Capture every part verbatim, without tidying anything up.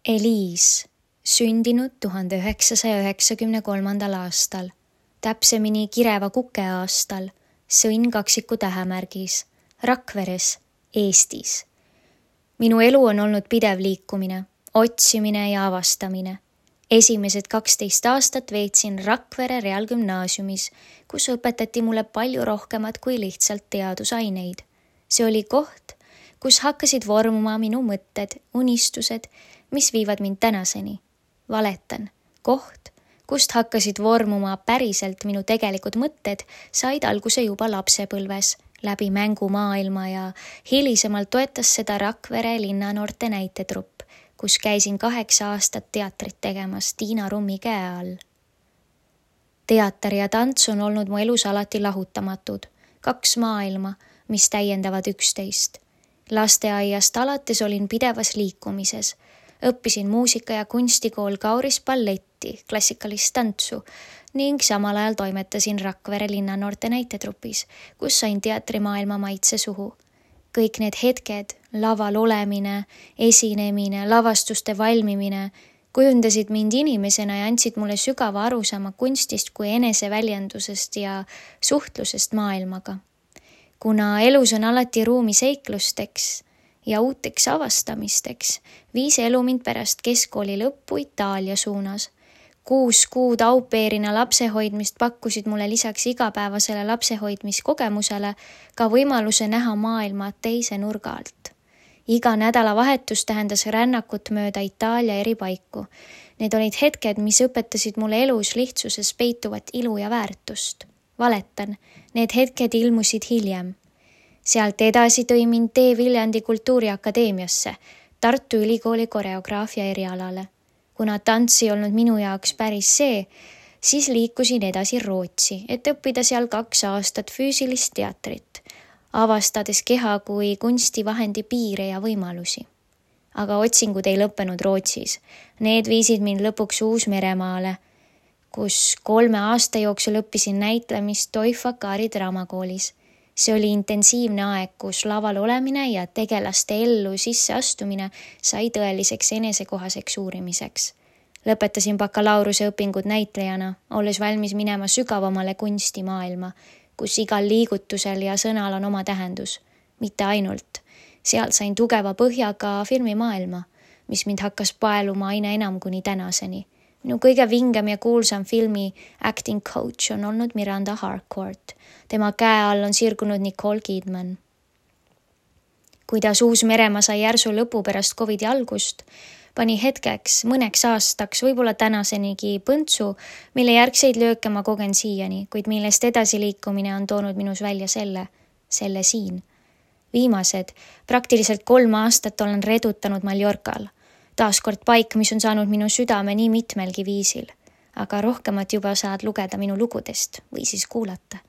Eliis, sündinud tuhande üheksasaja üheksakümne kolmandal aastal, täpsemini Kireva kuke aastal, sõnn kaksiku tähemärgis, Rakveres, Eestis. Minu elu on olnud pidev liikumine, otsimine ja avastamine. Esimesed kaksteist aastat veetsin Rakvere Reaalgümnaasiumis, kus õpetati mulle palju rohkemat kui lihtsalt teadusaineid. See oli koht, kus hakkasid vormuma minu mõtted, unistused, mis viivad mind tänaseni. Valetan, koht, kust hakkasid vormuma päriselt minu tegelikud mõtted, said alguse juba lapsepõlves, läbi mängumaailma ja hilisemalt toetas seda Rakvere linnanoorte näitetrupp, kus käisin kaheksa aastat teatrit tegemas Tiina Rummi käe all. Teater ja tants on olnud mu elus alati lahutamatud, kaks maailma, mis täiendavad üksteist. Lasteaiast alates olin pidevas liikumises. Õppisin muusika- ja kunstikool Kauris balletti, klassikalist tantsu ning samal ajal toimetasin Rakvere linnanoorte näitetrupis, kus sain teatrimaailma maitse suhu. Kõik need hetked, laval olemine, esinemine, lavastuste valmimine, kujundasid mind inimesena ja andsid mulle sügava arusaama kunstist kui eneseväljendusest ja suhtlusest maailmaga. Kuna elus on alati ruumi seiklusteks ja uuteks avastamisteks, viis elu mind pärast keskkooli lõppu Itaalia suunas. Kuus kuud aupeerina lapsehoidmist pakkusid mulle lisaks igapäevasele lapsehoidmiskogemusele ka võimaluse näha maailma teise nurga alt. Iga nädalavahetus tähendas rännakut mööda Itaalia eri paiku. Need olid hetked, mis õpetasid mulle elus lihtsuses peituvat ilu ja väärtust. Valetan, need hetked ilmusid hiljem. Sealt edasi tõi mind tee Viljandi Kultuuriakadeemiasse, Tartu Ülikooli koreograafia erialale. Kuna tants ei olnud minu jaoks päris see, siis liikusin edasi Rootsi, et õppida seal kaks aastat füüsilist teatrit, avastades keha kui kunstivahendi piire ja võimalusi. Aga otsingud ei lõppenud Rootsis. Need viisid mind lõpuks Uus-Meremaale, kus kolme aasta jooksul õppisin näitlemist Toifakari draamakoolis. See oli intensiivne aeg, kus laval olemine ja tegelaste ellu sisseastumine sai tõeliseks enesekohaseks uurimiseks. Lõpetasin bakalaureuse õpingud näitlejana, olles valmis minema sügavamale kunstimaailma, kus igal liigutusel ja sõnal on oma tähendus. Mitte ainult. Seal sain tugeva põhjaga filmimaailma, mis mind hakkas paeluma aina enam kuni tänaseni. Minu kõige vingem ja kuulsam filmi acting coach on olnud Miranda Harcourt. Tema käe all on sirgunud Nicole Kidman. Kuidas Uus-Meremaa sai järsu lõpu pärast Covidi algust, pani hetkeks, mõneks aastaks, võib-olla tänasenigi põntsu, mille järgseid lööke ma kogen siiani, kuid millest edasiliikumine on toonud minus välja selle, selle siin. Viimased, praktiliselt kolm aastat olen redutanud Mallorcal. Taaskord paik, mis on saanud minu südame nii mitmelgi viisil. Aga rohkemat juba saad lugeda minu lugudest või siis kuulata.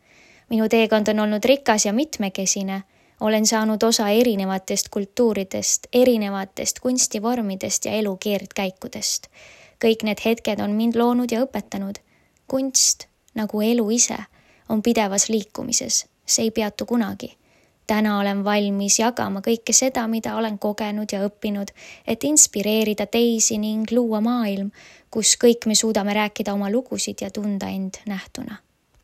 Minu teekond on olnud rikas ja mitmekesine. Olen saanud osa erinevatest kultuuridest, erinevatest kunstivormidest ja elu keerdkäikudest. Kõik need hetked on mind loonud ja õpetanud. Kunst, nagu elu ise, on pidevas liikumises. See ei peatu kunagi. Täna olen valmis jagama kõike seda, mida olen kogenud ja õppinud, et inspireerida teisi ning luua maailm, kus kõik me suudame rääkida oma lugusid ja tunda end nähtuna.